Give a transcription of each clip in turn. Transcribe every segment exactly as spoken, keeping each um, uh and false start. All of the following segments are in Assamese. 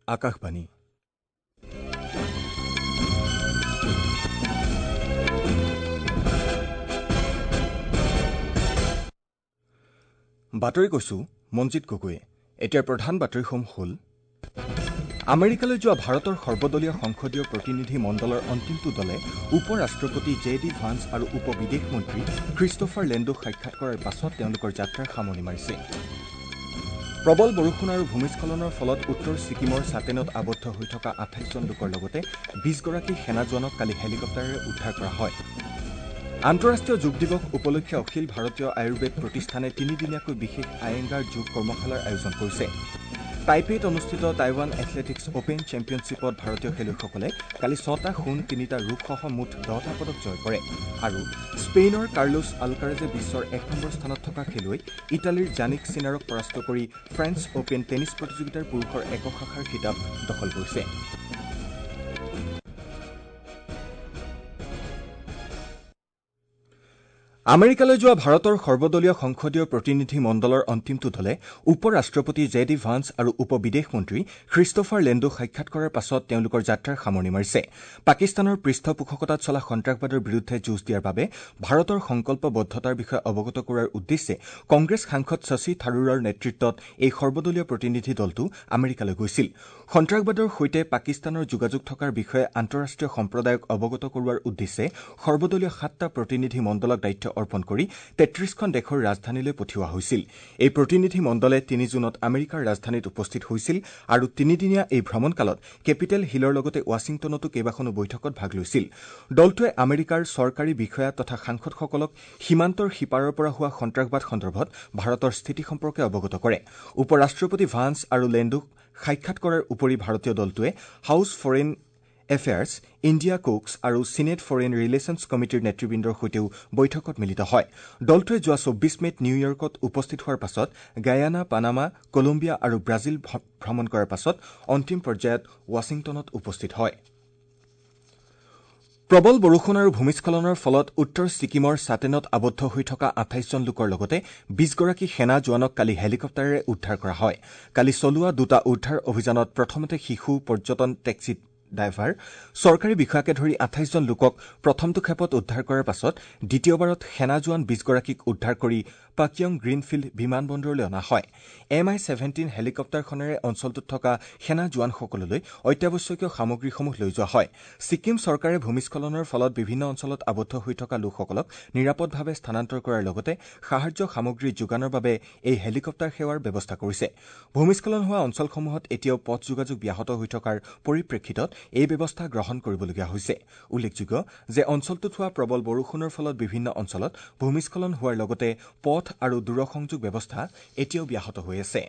আকাশবাণী। বাতৰি কৈছো মঞ্জিত গগৈয়ে। এতিয়াৰ প্ৰধান বাতৰিসমূহ হ'ল: আমেৰিকালৈ যোৱা ভাৰতৰ সৰ্বদলীয় সংসদীয় প্ৰতিনিধি মণ্ডলৰ অন্তিমটো দলে উপ ৰাষ্ট্ৰপতি জে ডি ভান্স আৰু উপ বিদেশ মন্ত্ৰী খ্ৰীষ্টোফাৰ লেণ্ডোক সাক্ষাৎ কৰাৰ পাছত তেওঁলোকৰ যাত্ৰাৰ সামৰণি মাৰিছে। প্ৰবল বৰষুণ আৰু ভূমিস্খলনৰ ফলত উত্তৰ ছিকিমৰ ছাটেনত আবদ্ধ হৈ থকা আঠাইছজন লোকৰ লগতে বিছগৰাকী সেনা জোৱানক কালি হেলিকপ্টাৰেৰে উদ্ধাৰ কৰা হয়। আন্তঃৰাষ্ট্ৰীয় যোগ দিৱস উপলক্ষে অখিল ভাৰতীয় আয়ুৰ্বেদ প্ৰতিষ্ঠানে তিনিদিনীয়াকৈ বিশেষ আয়েংগাৰ যোগ কৰ্মশালাৰ আয়োজন কৰিছে। টাইপেইত অনুষ্ঠিত টাইৱান এথলেটিকছ অপেন চেম্পিয়নশ্বিপত ভাৰতীয় খেলুৱৈসকলে কালি ছটা সোণ, তিনিটা ৰূপসহ মুঠ দহটা পদক জয় কৰে। আৰু স্পেইনৰ কাৰ্লোছ আলকাৰেজে বিশ্বৰ এক নম্বৰ স্থানত থকা খেলুৱৈ ইটালীৰ জানিক চিনাৰক পৰাস্ত কৰি ফ্ৰেঞ্চ অপেন টেনিছ প্ৰতিযোগিতাৰ পুৰুষৰ একক শাখাৰ খিতাপ দখল কৰিছে। আমেৰিকালৈ যোৱা ভাৰতৰ সৰ্বদলীয় সংসদীয় প্ৰতিনিধি মণ্ডলৰ অন্তিমটো দলে উপ ৰাষ্ট্ৰপতি জে ডি ভান্স আৰু উপ বিদেশ মন্ত্ৰী খ্ৰীষ্টোফাৰ লেণ্ডোক সাক্ষাৎ কৰাৰ পাছত তেওঁলোকৰ যাত্ৰাৰ সামৰণি মাৰিছে। পাকিস্তানৰ পৃষ্ঠপোষকতাত চলা সন্ত্ৰাসবাদৰ বিৰুদ্ধে যুঁজ দিয়াৰ বাবে ভাৰতৰ সংকল্পবদ্ধতাৰ বিষয়ে অৱগত কৰোৱাৰ উদ্দেশ্যে কংগ্ৰেছ সাংসদ শশী থাৰুৰৰ নেতৃত্বত এই সৰ্বদলীয় প্ৰতিনিধি দলটো আমেৰিকালৈ গৈছিল। সন্ত্ৰাসবাদৰ সৈতে পাকিস্তানৰ যোগাযোগ থকাৰ বিষয়ে আন্তঃৰাষ্ট্ৰীয় সম্প্ৰদায়ক অৱগত কৰোৱাৰ উদ্দেশ্যে সৰ্বদলীয় সাতটা প্ৰতিনিধি মণ্ডলক দায়িত্ব অৰ্পণ কৰি তেত্ৰিশখন দেশৰ ৰাজধানীলৈ পঠিওৱা হৈছিল। এই প্ৰতিনিধি মণ্ডলে তিনি জুনত আমেৰিকাৰ ৰাজধানীত উপস্থিত হৈছিল আৰু তিনিদিনীয়া এই ভ্ৰমণকালত কেপিটেল হিলৰ লগতে ৱাশ্বিংটনতো কেইবাখনো বৈঠকত ভাগ লৈছিল। দলটোৱে আমেৰিকাৰ চৰকাৰী বিষয়া তথা সাংসদসকলক সীমান্তৰ সিপাৰৰ পৰা হোৱা সন্ত্ৰাসবাদ সন্দৰ্ভত ভাৰতৰ স্থিতি সম্পৰ্কে অৱগত কৰে। উপ ৰাষ্ট্ৰপতি ভান্স আৰু লেণ্ডোক সাক্ষাৎ কৰাৰ উপৰি ভাৰতীয় দলটোৱে House Foreign Affairs, India caucus আৰু চিনেট ফৰেইন ৰিলেশ্যনছ কমিটিৰ নেতৃবৃন্দৰ সৈতেও বৈঠকত মিলিত হয়। দলটোৱে যোৱা চৌব্বিছ মে'ত নিউয়ৰ্কত উপস্থিত হোৱাৰ পাছত গায়ানা, পানামা, কলম্বিয়া আৰু ব্ৰাজিল ভ্ৰমণ কৰাৰ পাছত অন্তিম পৰ্যায়ত ৱাশ্বিংটনত উপস্থিত হয়। প্ৰবল বৰষুণ আৰু ভূমিস্খলনৰ ফলত উত্তৰ ছিকিমৰ ছাটেনত আবদ্ধ হৈ থকা আঠাইছজন লোকৰ লগতে বিছগৰাকী সেনা জোৱানক কালি হেলিকপ্টাৰেৰে উদ্ধাৰ কৰা হয়। কালি চলোৱা দুটা উদ্ধাৰ অভিযানত প্ৰথমতে শিশু, পৰ্যটন টেক্সি ড্ৰাইভাৰ, চৰকাৰী বিষয়াকে ধৰি আঠাইছজন লোকক প্ৰথমটো খেপত উদ্ধাৰ কৰাৰ পাছত দ্বিতীয়বাৰত সেনা জোৱান বিছগৰাকীক উদ্ধাৰ কৰি পাকিয়ং গ্ৰীণফিল্ড বিমানবন্দৰলৈ অনা হয়। এম আই ছেভেণ্টিন হেলিকপ্টাৰখনেৰে অঞ্চলটোত থকা সেনা জোৱানসকললৈ অত্যাৱশ্যকীয় সামগ্ৰীসমূহ লৈ যোৱা হয়। ছিকিম চৰকাৰে ভূমিস্খলনৰ ফলত বিভিন্ন অঞ্চলত আবদ্ধ হৈ থকা লোকসকলক নিৰাপদভাৱে স্থানান্তৰ কৰাৰ লগতে সাহায্য সামগ্ৰী যোগানৰ বাবে এই হেলিকপ্টাৰ সেৱাৰ ব্যৱস্থা কৰিছে। ভূমিস্খলন হোৱা অঞ্চলসমূহত এতিয়াও পথ যোগাযোগ ব্যাহত হৈ থকাৰ পৰিপ্ৰেক্ষিতত এই ব্যৱস্থা গ্ৰহণ কৰিবলগীয়া হৈছে। উল্লেখযোগ্য যে অঞ্চলটোত হোৱা প্ৰবল বৰষুণৰ ফলত বিভিন্ন অঞ্চলত ভূমিস্খলন হোৱাৰ লগতে পথ আৰু দূৰসংযোগ ব্যৱস্থা এতিয়াও ব্যাহত হৈ আছে।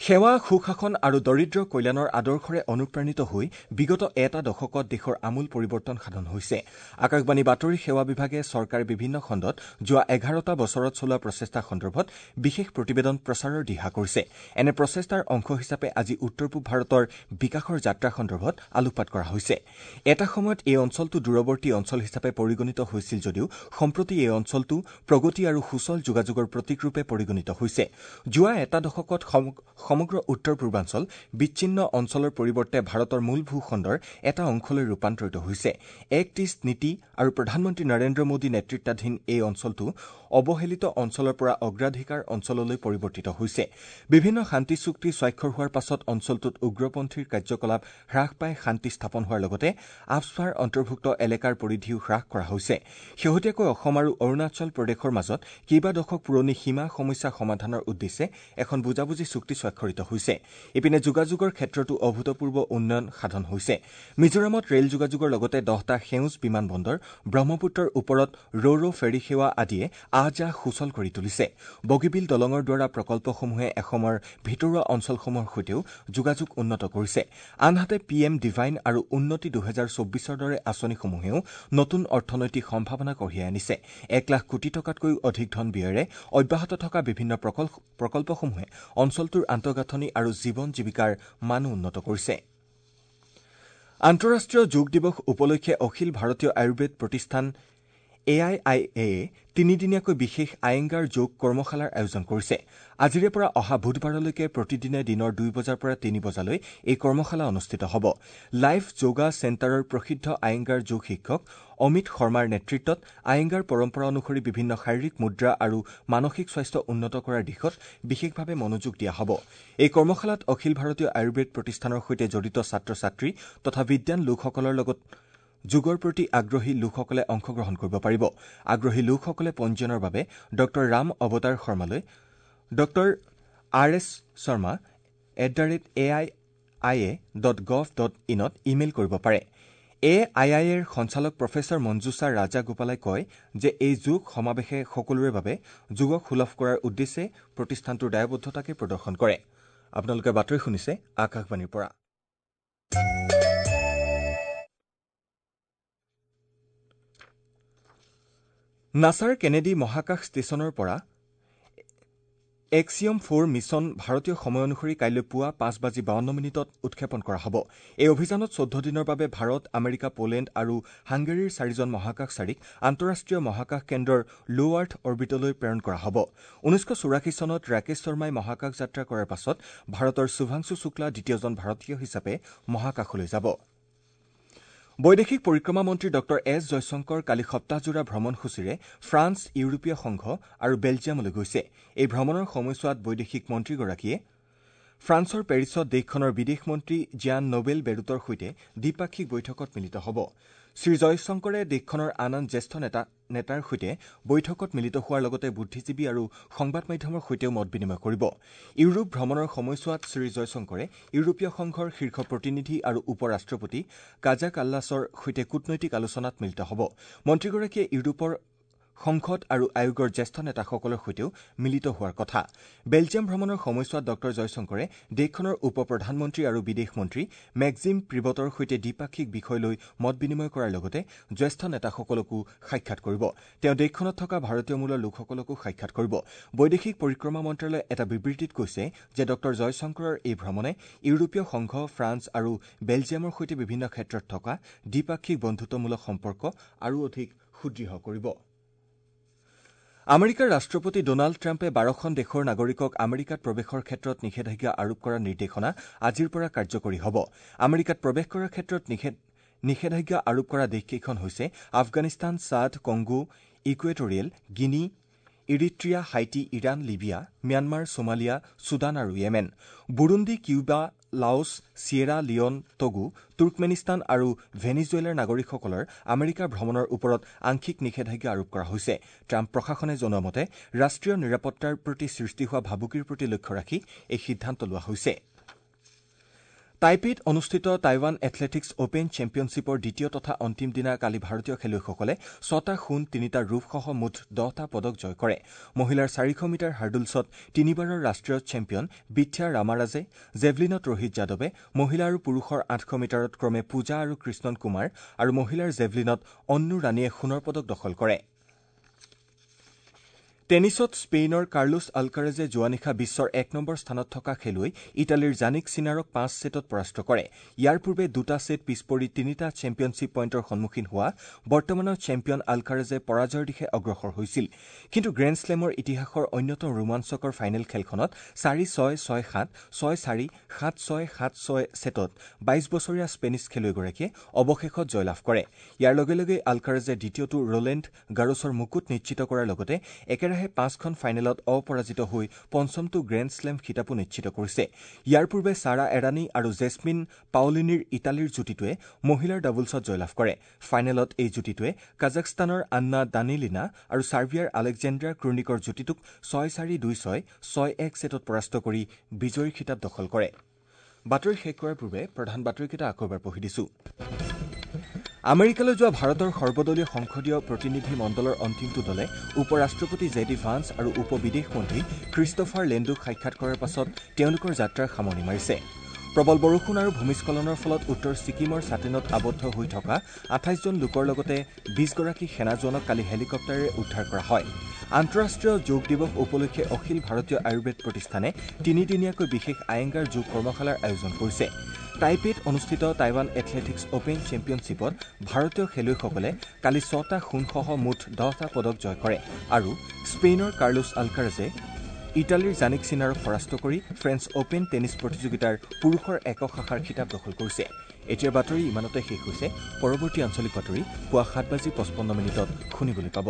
সেৱা, সুশাসন আৰু দৰিদ্ৰ কল্যাণৰ আদৰ্শৰে অনুপ্ৰাণিত হৈ বিগত এটা দশকত দেশৰ আমূল পৰিৱৰ্তন সাধন হৈছে। আকাশবাণী বাতৰি সেৱা বিভাগে চৰকাৰে বিভিন্ন খণ্ডত যোৱা এঘাৰটা বছৰত চলোৱা প্ৰচেষ্টা সন্দৰ্ভত বিশেষ প্ৰতিবেদন প্ৰচাৰৰ দিহা কৰিছে। এনে প্ৰচেষ্টাৰ অংশ হিচাপে আজি উত্তৰ পূব ভাৰতৰ বিকাশৰ যাত্ৰা সন্দৰ্ভত আলোকপাত কৰা হৈছে। এটা সময়ত এই অঞ্চলটো দূৰৱৰ্তী অঞ্চল হিচাপে পৰিগণিত হৈছিল যদিও সম্প্ৰতি এই অঞ্চলটো প্ৰগতি আৰু সুচল যোগাযোগৰ প্ৰতীকৰূপে পৰিগণিত হৈছে। যোৱা এটা দশকত সমগ্ৰ উত্তৰ পূৰ্বাঞ্চল বিচ্ছিন্ন অঞ্চলৰ পৰিৱৰ্তে ভাৰতৰ মূল ভূখণ্ডৰ এটা অংশলৈ ৰূপান্তৰিত হৈছে। এক্ট ইষ্ট নীতি আৰু প্ৰধানমন্ত্ৰী নৰেন্দ্ৰ মোদী নেতৃত্বাধীন এই অঞ্চলটো অৱহেলিত অঞ্চলৰ পৰা অগ্ৰাধিকাৰ অঞ্চললৈ পৰিৱৰ্তিত হৈছে। বিভিন্ন শান্তি চুক্তি স্বাক্ষৰ হোৱাৰ পাছত অঞ্চলটোত উগ্ৰপন্থীৰ কাৰ্যকলাপ হ্ৰাস পাই শান্তি স্থাপন হোৱাৰ লগতে আফস্পাৰ অন্তৰ্ভুক্ত এলেকাৰ পৰিধিও হ্ৰাস কৰা হৈছে। শেহতীয়াকৈ অসম আৰু অৰুণাচল প্ৰদেশৰ মাজত কেইবা দশক পুৰণি সীমা সমস্যা সমাধানৰ উদ্দেশ্যে এখন বুজাবুজি চুক্তি স্বাক্ষৰিত হৈছে। ইপিনে যোগাযোগৰ ক্ষেত্ৰতো অভূতপূৰ্ব উন্নয়ন সাধন হৈছে। মিজোৰামত ৰেল যোগাযোগৰ লগতে দহটা সেউজ বিমানবন্দৰ, ব্ৰহ্মপুত্ৰৰ ওপৰত ৰো-ৰো ফেৰী সেৱা আদিয়ে আহ যাহ সুচল কৰি তুলিছে। বগীবিল দলঙৰ দ্বাৰা প্ৰকল্পসমূহে অসমৰ ভিতৰুৱা অঞ্চলসমূহৰ সৈতেও যোগাযোগ উন্নত কৰিছে। আনহাতে পি এম ডিভাইন আৰু উন্নতি দুহেজাৰ চৌব্বিছৰ দৰে আঁচনিসমূহেও নতুন অৰ্থনৈতিক সম্ভাৱনা কঢ়িয়াই আনিছে। এক লাখ কোটি টকাতকৈও অধিক ধন ব্যয়েৰে অব্যাহত থকা বিভিন্ন প্ৰকল্পসমূহে অঞ্চলটোৰ আন্তঃগাঁথনি আৰু জীৱন জীৱিকাৰ মানো উন্নত কৰিছে। আন্তঃৰাষ্ট্ৰীয় যোগ দিৱস উপলক্ষে অখিল ভাৰতীয় আয়ুৰ্বেদ প্ৰতিষ্ঠান এ I I এয়ে তিনিদিনীয়াকৈ বিশেষ আয়েংগাৰ যোগ কৰ্মশালাৰ আয়োজন কৰিছে। আজিৰে পৰা অহা বুধবাৰলৈকে প্ৰতিদিনে দিনৰ দুই বজাৰ পৰা তিনি বজালৈ এই কৰ্মশালা অনুষ্ঠিত হ'ব। লাইফ যোগা চেণ্টাৰৰ প্ৰসিদ্ধ আয়েংগাৰ যোগ শিক্ষক অমিত শৰ্মাৰ নেতৃত্বত আয়েংগাৰ পৰম্পৰা অনুসৰি বিভিন্ন শাৰীৰিক মুদ্ৰা আৰু মানসিক স্বাস্থ্য উন্নত কৰাৰ দিশত বিশেষভাৱে মনোযোগ দিয়া হ'ব। এই কৰ্মশালাত অখিল ভাৰতীয় আয়ুৰ্বেদ প্ৰতিষ্ঠানৰ সৈতে জড়িত ছাত্ৰ ছাত্ৰী তথা বিদ্যান লোকসকলৰ লগত যোগৰ প্ৰতি আগ্ৰহী লোকসকলে অংশগ্ৰহণ কৰিব পাৰিব। আগ্ৰহী লোকসকলে পঞ্জীয়নৰ বাবে ডঃ ৰাম অৱতাৰ শৰ্মালৈ Doctor R S Sharma at the rate A I I A dot gov dot ইনত email কৰিব পাৰে। এ I আই এৰ সঞ্চালক প্ৰফেচৰ মঞ্জুষা ৰাজা গোপালাই কয় যে এই যোগ সমাৱেশে সকলোৰে বাবে যোগক সুলভ কৰাৰ উদ্দেশ্যে প্ৰতিষ্ঠানটোৰ দায়বদ্ধতাকে প্ৰদৰ্শন কৰে। আপোনালোকে বাতৰি শুনিছে আকাশবাণীৰ পৰা। নাছাৰ কেনেডি মহাকাশ ষ্টেচনৰ পৰা এক্সিয়ম ফ'ৰ মিছন ভাৰতীয় সময় অনুসৰি কাইলৈ পুৱা পাঁচ বাজি বাৱন্ন মিনিটত উৎক্ষেপণ কৰা হ'ব। এই অভিযানত চৈধ্য দিনৰ বাবে ভাৰত, আমেৰিকা, পোলেণ্ড আৰু হাংগেৰীৰ চাৰিজন মহাকাশচাৰীক আন্তঃৰাষ্ট্ৰীয় মহাকাশ কেন্দ্ৰৰ ল' আৰ্থ অৰ্বিটলৈ প্ৰেৰণ কৰা হ'ব। ঊনৈছশ চৌৰাশী চনত ৰাকেশ শৰ্মাই মহাকাশ যাত্ৰা কৰাৰ পাছত ভাৰতৰ শুভাংশু শুক্লা দ্বিতীয়জন ভাৰতীয় হিচাপে মহাকাশলৈ যাব। বৈদেশিক পৰিক্ৰমা মন্ত্ৰী ডঃ এছ জয়শংকৰ কালি সপ্তাহজোৰা ভ্ৰমণসূচীৰে ফ্ৰান্স, ইউৰোপীয় সংঘ আৰু বেলজিয়ামলৈ গৈছে। এই ভ্ৰমণৰ সময়ছোৱাত বৈদেশিক মন্ত্ৰীগৰাকীয়ে ফ্ৰান্সৰ পেৰিছত দেশখনৰ বিদেশ মন্ত্ৰী জিয়ান নোবেল বেৰুটৰ সৈতে দ্বিপাক্ষিক বৈঠকত মিলিত হ'ব। শ্ৰীজয়শংকৰে দেশখনৰ আন আন জ্যেষ্ঠ নেতাৰ সৈতে বৈঠকত মিলিত হোৱাৰ লগতে বুদ্ধিজীৱী আৰু সংবাদ মাধ্যমৰ সৈতেও মত বিনিময় কৰিব। ইউৰোপ ভ্ৰমণৰ সময়ছোৱাত শ্ৰীজয়শংকৰে ইউৰোপীয় সংঘৰ শীৰ্ষ প্ৰতিনিধি আৰু উপ ৰাষ্ট্ৰপতি কাজা কাল্লাছৰ সৈতে কূটনৈতিক আলোচনাত মিলিত হ'ব। মন্ত্ৰীগৰাকীয়ে ইউৰোপৰ সংসদ আৰু আয়োগৰ জ্যেষ্ঠ নেতাসকলৰ সৈতেও মিলিত হোৱাৰ কথা। বেলজিয়াম ভ্ৰমণৰ সময়ছোৱাত ডঃ জয়শংকৰে দেশখনৰ উপ প্ৰধানমন্ত্ৰী আৰু বিদেশ মন্ত্ৰী মেক্সিম প্ৰিবটৰ সৈতে দ্বিপাক্ষিক বিষয় লৈ মত বিনিময় কৰাৰ লগতে জ্যেষ্ঠ নেতাসকলকো সাক্ষাৎ কৰিব। তেওঁ দেশখনত থকা ভাৰতীয় মূলৰ লোকসকলকো সাক্ষাৎ কৰিব। বৈদেশিক পৰিক্ৰমা মন্ত্ৰালয়ে এটা বিবৃতিত কৈছে যে ডঃ জয়শংকৰৰ এই ভ্ৰমণে ইউৰোপীয় সংঘ, ফ্ৰান্স আৰু বেলজিয়ামৰ সৈতে বিভিন্ন ক্ষেত্ৰত থকা দ্বিপাক্ষিক বন্ধুত্বমূলক সম্পৰ্ক আৰু অধিক সুদৃঢ় কৰিব। আমেৰিকাৰ ৰাষ্ট্ৰপতি ডনাল্ড ট্ৰাম্পে বাৰখন দেশৰ নাগৰিকক আমেৰিকাত প্ৰৱেশৰ ক্ষেত্ৰত নিষেধাজ্ঞা আৰোপ কৰা নিৰ্দেশনা আজিৰ পৰা কাৰ্যকৰী হ'ব। আমেৰিকাত প্ৰৱেশ কৰাৰ ক্ষেত্ৰত নিষেধাজ্ঞা আৰোপ কৰা দেশকেইখন হৈছে Afghanistan, Chad, Congo, Equatorial Guinea, Eritrea, Haiti, Iran, Libya, Myanmar, Somalia, Sudan আৰু Yemen. Burundi, Cuba, Laos, Sierra Leone, Togo, Turkmenistan আৰু ভেনিজুৱেলাৰ নাগৰিকসকলৰ আমেৰিকা ভ্ৰমণৰ ওপৰত আংশিক নিষেধাজ্ঞা আৰোপ কৰা হৈছে। ট্ৰাম্প প্ৰশাসনে জনোৱা মতে ৰাষ্ট্ৰীয় নিৰাপত্তাৰ প্ৰতি সৃষ্টি হোৱা ভাবুকিৰ প্ৰতি লক্ষ্য ৰাখি এই সিদ্ধান্ত লোৱা হৈছে। টাইপেইত অনুষ্ঠিত টাইৱান এথলেটিকছ অপেন চেম্পিয়নশ্বিপৰ দ্বিতীয় তথা অন্তিম দিনা কালি ভাৰতীয় খেলুৱৈসকলে ছটা সোণ, তিনিটা ৰূপসহ মুঠ দহটা পদক জয় কৰে। মহিলাৰ চাৰিশ মিটাৰ হাৰ্ডলছত তিনিবাৰৰ ৰাষ্ট্ৰীয় চেম্পিয়ন বিথ্যা ৰামাৰাজে, জেভলিনত ৰোহিত যাদৱে, মহিলা আৰু পুৰুষৰ আঠশ মিটাৰত ক্ৰমে পূজা আৰু কৃষ্ণন কুমাৰ আৰু মহিলাৰ জেভলিনত অন্নু ৰাণীয়ে সোণৰ পদক দখল কৰে। টেনিছত স্পেইনৰ কাৰ্লোছ আলকাৰেজে যোৱা নিশা বিশ্বৰ এক নম্বৰ স্থানত থকা খেলুৱৈ ইটালীৰ জানিক চিনাৰক পাঁচ ছেটত পৰাস্ত কৰে। ইয়াৰ পূৰ্বে দুটা ছেট পিছ পৰি তিনিটা চেম্পিয়নশ্বিপ পইণ্টৰ সন্মুখীন হোৱা বৰ্তমানৰ চেম্পিয়ন আলকাৰেজে পৰাজয়ৰ দিশে অগ্ৰসৰ হৈছিল। কিন্তু গ্ৰেণ্ড শ্লেমৰ ইতিহাসৰ অন্যতম ৰোমাঞ্চকৰ ফাইনেল খেলখনত চাৰি ছয়, ছয় সাত, ছয় চাৰি, সাত ছয়, সাত ছয় ছেটত বাইশ বছৰীয়া স্পেনিছ খেলুৱৈগৰাকীয়ে অৱশেষত জয়লাভ কৰে। ইয়াৰ লগে লগে আলকাৰেজে দ্বিতীয়টো ৰোলেণ্ড গাৰোছৰ মুকুট নিশ্চিত কৰাৰ লগতে একেৰাহে পাঁচখন ফাইনেলত অপৰাজিত হৈ পঞ্চমটো গ্ৰেণ্ড শ্লেম খিতাপো নিশ্চিত কৰিছে। ইয়াৰ পূৰ্বে ছাৰা এৰানী আৰু জেছমিন পাওলিনীৰ ইটালীৰ যুটিটোৱে মহিলাৰ ডাবলছত জয়লাভ কৰে। ফাইনেলত এই যুটিটোৱে কাজাখস্তানৰ আন্না দানিলিনা আৰু ছাৰ্বিয়াৰ আলেকজেণ্ডাৰ ক্ৰুনিকৰ যুটিটোক ছয় চাৰি, দুই ছয়, ছয় এক ছেটত পৰাস্ত কৰি বিজয়ীৰ খিতাপ দখল কৰে। বাতৰি শেষ কৰাৰ পূৰ্বে প্ৰধান বাতৰিকেইটা আকৌ এবাৰ পঢ়ি দিছো। আমেৰিকালৈ যোৱা ভাৰতৰ সৰ্বদলীয় সংসদীয় প্ৰতিনিধি মণ্ডলৰ অন্তিমটো দলে উপ ৰাষ্ট্ৰপতি জে ডি ভান্স আৰু উপ বিদেশ মন্ত্ৰী ক্ৰিষ্টফাৰ লেণ্ডুক সাক্ষাৎ কৰাৰ পাছত তেওঁলোকৰ যাত্ৰাৰ সামৰণি মাৰিছে। প্ৰবল বৰষুণ আৰু ভূমিস্খলনৰ ফলত উত্তৰ ছিকিমৰ ছাটেনত আবদ্ধ হৈ থকা আঠাইছজন লোকৰ লগতে বিশগৰাকী সেনা জোৱানক কালি হেলিকপ্টাৰেৰে উদ্ধাৰ কৰা হয়। আন্তঃৰাষ্ট্ৰীয় যোগ দিৱস উপলক্ষে অখিল ভাৰতীয় আয়ুৰ্বেদ প্ৰতিষ্ঠানে তিনিদিনীয়াকৈ বিশেষ আয়েংগাৰ যোগ কৰ্মশালাৰ আয়োজন কৰিছে। টাইপেত অনুষ্ঠিত টাইৱান এথলেটিকছ অপেন চেম্পিয়নশ্বিপত ভাৰতীয় খেলুৱৈসকলে কালি ছটা সোণসহ মুঠ দহটা পদক জয় কৰে আৰু স্পেইনৰ কাৰ্লোছ আলকাৰাজে ইটালীৰ জানিক চিনাৰক পৰাস্ত কৰি ফ্ৰেঞ্চ অপেন টেনিছ প্ৰতিযোগিতাৰ পুৰুষৰ একক শাখাৰ খিতাপ দখল কৰিছে। এতিয়াৰ বাতৰি ইমানতে শেষ হৈছে। পৰৱৰ্তী আঞ্চলিক বাতৰি পুৱা সাত বাজি পঁচপন্ন মিনিটত শুনিবলৈ পাব।